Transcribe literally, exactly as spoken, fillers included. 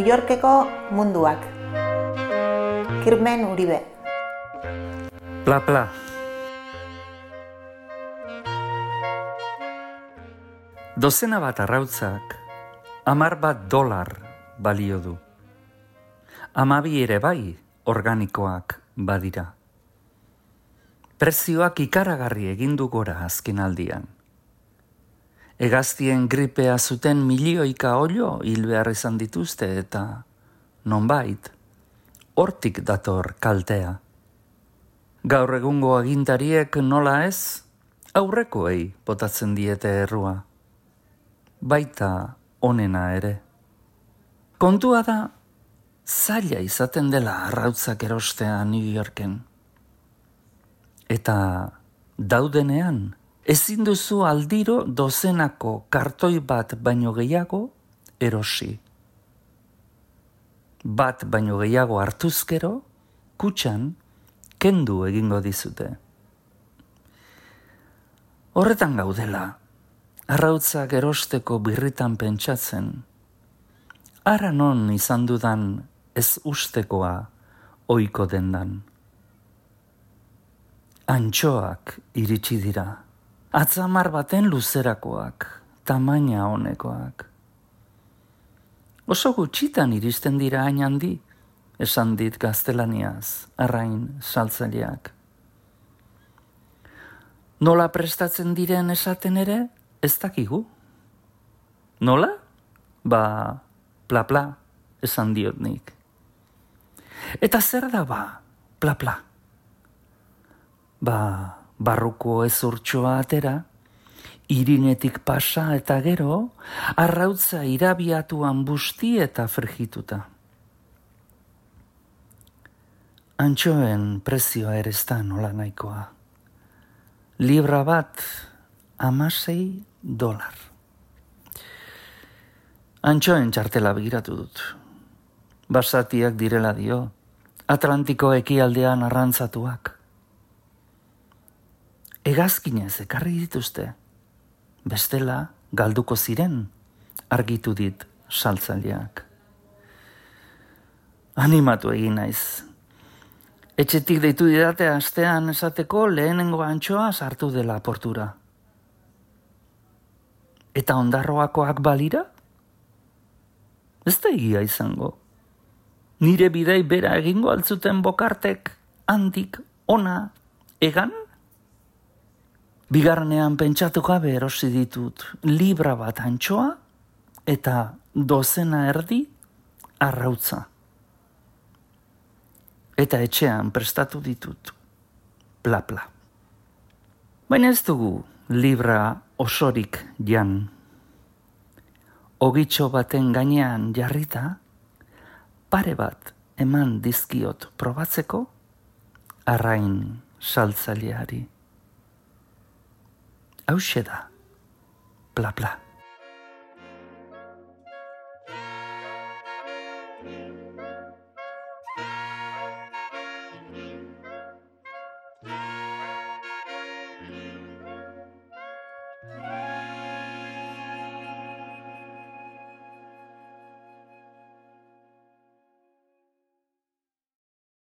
New Yorkeko munduak. Kirmen Uribe. Pla pla. Dozena bat arrautzak, hamar bat dolar balio du. Hamabi ere bai organikoak badira. Prezioak ikaragarri egin du gora azkenaldian. Hegaztien gripea zuten milioika olio hil behar izan dituzte eta nonbait, hortik dator kaltea. Gaur egungo agintariek nola ez, aurrekoei botatzen diete errua. Baita onena ere. Kontua da, zaila izaten dela arrautzak erostea New Yorken. Eta daudenean, ezin duzu aldiro dozenako kartoi bat baino gehiago erosi. Bat baino gehiago hartuzkero, kutxan, kendu egingo dizute. Horretan gaudela, arrautzak erosteko birritan pentsatzen, ara non izan dudan ez ustekoa ohiko dendan. Antxoak iritsi dira, atzamar baten luzerakoak, tamaina honekoak. Oso gutxitan iristen dira hain handi, esan dit gaztelaniaz, arrain saltzaileak. Nola prestatzen diren esaten ere, ez dakigu. Nola? Ba, pla pla, esan diot nik. Eta zer da ba, pla pla? Ba, barruko ezurtxoa atera, irinetik pasa eta gero, arrautza irabiatuan busti eta frigituta. Antxoen prezioa ere ez da nola nahikoa. Libra bat, hamasei dolar. Antxoen txartela begiratu dut. Basatiak direla dio, Atlantiko ekialdean arrantzatuak. Hegazkinez ekarri dituzte, bestela galduko ziren, argitu dit saltzaileak. Animatu egin naiz. Etxetik deitu didate astean esateko lehenengo antxoa sartu dela portura. Eta ondarroakoak balira? Ez da egia izango. Nire bidei bera egingo altzuten bokartek handik ona egan? Bigarrenean pentsatu gabe erosi ditut libra bat antxoa eta dozena erdi arrautza. Eta etxean prestatu ditut pla pla. Baina ez dugu libra osorik jan. Ogitxo baten gainean jarrita, pare bat eman dizkiot probatzeko arrain saltzaileari. Hauxe da, pla pla.